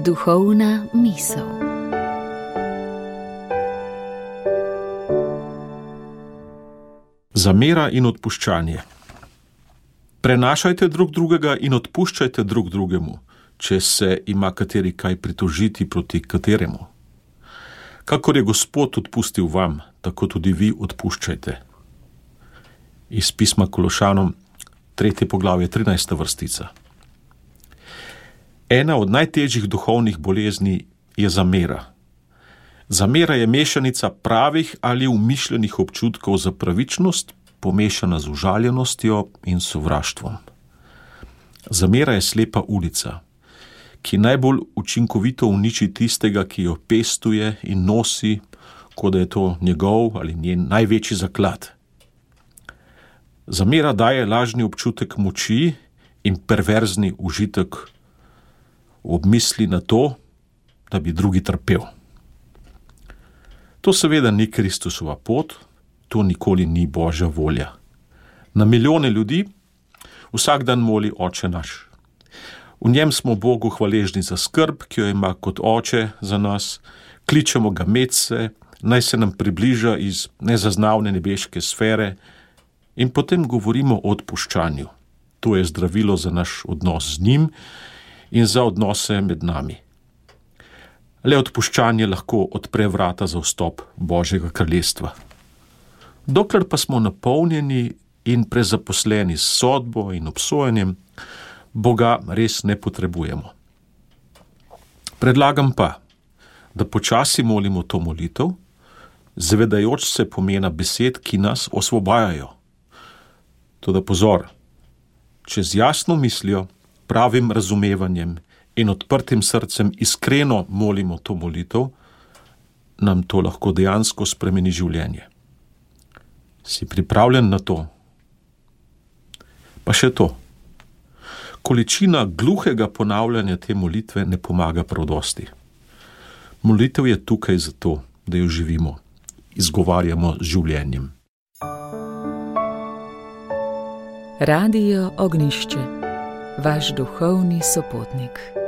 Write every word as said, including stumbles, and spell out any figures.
Duhovna misel. Zamera in odpuščanje. Prenašajte drug drugega in odpuščajte drug drugemu, če se ima kateri kaj pritožiti proti kateremu. Kakor je Gospod odpustil vam, tako tudi vi odpuščajte. Iz pisma Kološanom, tretje poglavje, trinajsta vrstica. Ena od najtežjih duhovnih bolezni je zamera. Zamera je mešanica pravih ali umišljenih občutkov za pravičnost, pomešana z užaljenostjo in sovraštvom. Zamera je slepa ulica, ki najbolj učinkovito uniči tistega, ki jo pestuje in nosi, kot da je to njegov ali njen največji zaklad. Zamera daje lažni občutek moči in perverzni užitek ob misli na to, da bi drugi trpel. To seveda ni Kristusova pot, to nikoli ni Božja volja. Na milijone ljudi vsak dan moli Oče naš. V njem smo Bogu hvaležni za skrb, ki jo ima kot oče za nas, kličemo ga medse, naj se nam približa iz nezaznavne nebeške sfere in potem govorimo o odpuščanju. To je zdravilo za naš odnos z njim in za odnose med nami. Le odpuščanje lahko odpre vrata za vstop Božjega kraljestva. Dokler pa smo napolnjeni in prezaposleni s sodbo in obsojanjem, Boga res ne potrebujemo. Predlagam pa, da počasi molimo to molitev, zavedajoč se pomena besed, ki nas osvobajajo. Toda pozor, če z jasno mislijo, pravim razumevanjem in odprtim srcem iskreno molimo to molitev, nam to lahko dejansko spremeni življenje. Si pripravljen na to? Pa še to. Količina gluhega ponavljanja te molitve ne pomaga prav dosti. Molitev je tukaj zato, da jo živimo, izgovarjamo z življenjem. Radio Ognjišče, vaš duhovni sopotnik.